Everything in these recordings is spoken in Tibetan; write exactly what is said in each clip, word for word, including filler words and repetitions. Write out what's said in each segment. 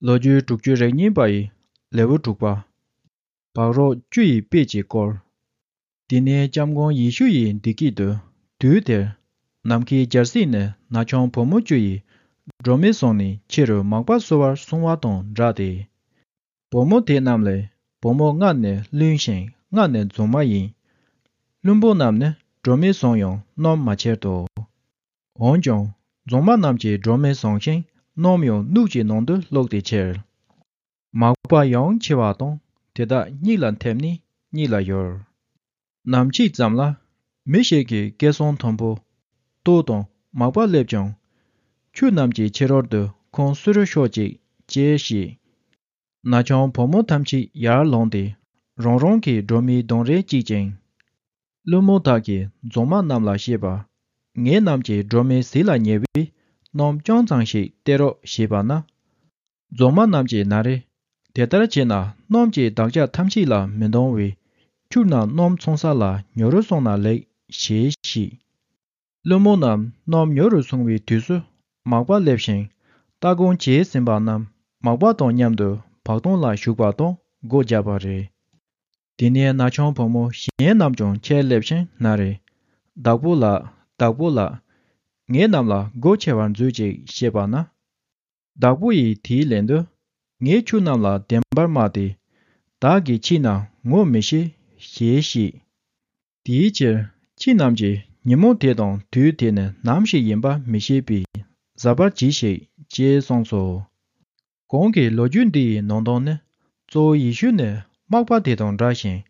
ལོ་རྒྱུས་དྲུག་ཅུ་རེ་གཉིས་པ་ཡི་ལེའུ་དྲུག་པ། བག་རོ་བཅུ་ཡི་དཔེ་གཅིག་སྐོར། དེ་ནས་སྐྱབས་མགོན་ཡེ་ཤུ་ཡིས་འདི་སྐད་དུ། དུས་དེར་ནམ་མཁའི་རྒྱལ་སྲིད་ནི་ན་ཆུང་བུ་མོ་བཅུ་ཡིས་སྒྲོན་མེ་བཟུང་ནས་ཕྱི་རུ་མག་པ་བསུ་བར་སོང་བ་དང་འདྲ་སྟེ། བུ་མོ་དེ་རྣམས་ལས་བུ་མོ་ལྔ་ནི་བླུན་ཞིང་ལྔ་ནི་རྫུན་མ་ཡིན། བླུན་པོ་རྣམས་ནི་སྒྲོན་མེ་བཟུང་ཡང་སྣུམ་མ་ཁྱེར་ཏོ། འོན་ཀྱང་རྫུན་མ་རྣམས་ཀྱིས་སྒྲོན་མེ་བཟུང་ཞིང་སྣུམ་ཡང་སྣུག་གི་ནང་དུ་བླུགས་ཏེ་ཁྱེར། མག་པ་ཡང་འཆི་བ་དང་དེ་དག་གཉིད་ལ་འཐིམ་ནས་གཉིད་ལ་ཡུར། ནམ་ཕྱེད་ཙམ་ལ་མི་ཞིག་གིས་སྐད་གསང་མཐོན་པོས་ལྟོས་དང་མག་པ་སླེབས་ཀྱང་། ཁྱོད་རྣམས་ཀྱི་ཕྱི་རོལ་དུ་ཁོང་བསུ་རུ་ཤོག་ཅིག་ཅེས་བཤད། ན་ཆུང་བུ་མོ་ཐམས་ཅད་ཡར་ལངས་ཏེ་རང་རང་གི་སྒྲོན་མེའི་གདོང་རིས་གཅིག་ཅིང་། བླུན་པོ་དག་གིས་རྫུན་མ་རྣམས་ལ་བཤད་པ། ངེད་རྣམས་ཀྱི་སྒྲོན་མེ་ཟིལ་ལ་ཉེ་བས་སྣུམ་ཅུང་ཙམ་ཞིག་སྟེར་རོགས་ཞེས་པ་ན། རྫུན་མ་རྣམས་ཀྱིས་ན་རེ། དེ་ལྟར་བྱས་ན་སྣུམ་གྱིས་བདག་ཅག་ཐམས་ཅད་ལ་མི་འདང་བས། ཁྱོད་རྣམས་སྣུམ་འཚོང་ས་ལ་ཉོ་རུ་སོང་ན་ལེགས་ཞེས་བཤད། བླུན་པོ་རྣམས་སྣུམ་ཉོ་རུ་སོང་བའི་དུས་སུ་མག་པ་སླེབས་ཤིང་ལྟ་སྒོམ་བྱས་ཟིན་པ་རྣམས་མག་པ་དང་མཉམ་དུ་བག་སྟོང་ལ་ཞུགས་པ་དང་སྒོ་བརྒྱབ་པ་རེད། དེ་ནས་ན་ཆུང་བུ་མོ་གཞན་རྣམས་ཀྱང་ཁྱེར་སླེབས་ཤིང་ན་རེ། བདག་པོ་ལགས། བདག་པོ་ལགས། ངེད་རྣམས་ལ་སྒོ་ཕྱེ་བར་མཛོད་ཅིག་ཞེས་པ་ན། བདག་པོ་ཡིས་དེའི་ལན་དུ། ངས་ཁྱོད་རྣམས་ལ་བདེན་པར་སྨྲ་སྟེ། བདག་གིས་ཁྱེད་རྣམས་ངོ་མི་ཤེས་ཞེས་བཤད། དེའི་ཕྱིར་ཁྱེད་རྣམས་ཀྱིས་ཉིན་མོ་དེ་དང་དུས་དེ་ནི་ནམ་ཞིག་ཡིན་པ་མི་ཤེས་པས་གཟབ་པར་གྱིས་ཤིག་ཅེས་གསུངས་སོ། གོང་གི་ལོ་རྒྱུས་འདི་ཡི་ནང་དོན་ནི། གཙོ་བོ་ཡེ་ཤུ་ནི་མག་པ་དེ་དང་འདྲ་ཞིང་།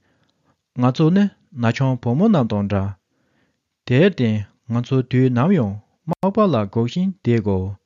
ང་ཚོ་ནི་ན་ཆུང་བུ་མོ་རྣམས་དང་འདྲ། དེར་བརྟེན་ང་ཚོ་དུས་ནམ་ཡང་མག་པ་ལ་སྒུག་བཞིན་བསྡད་དགོས།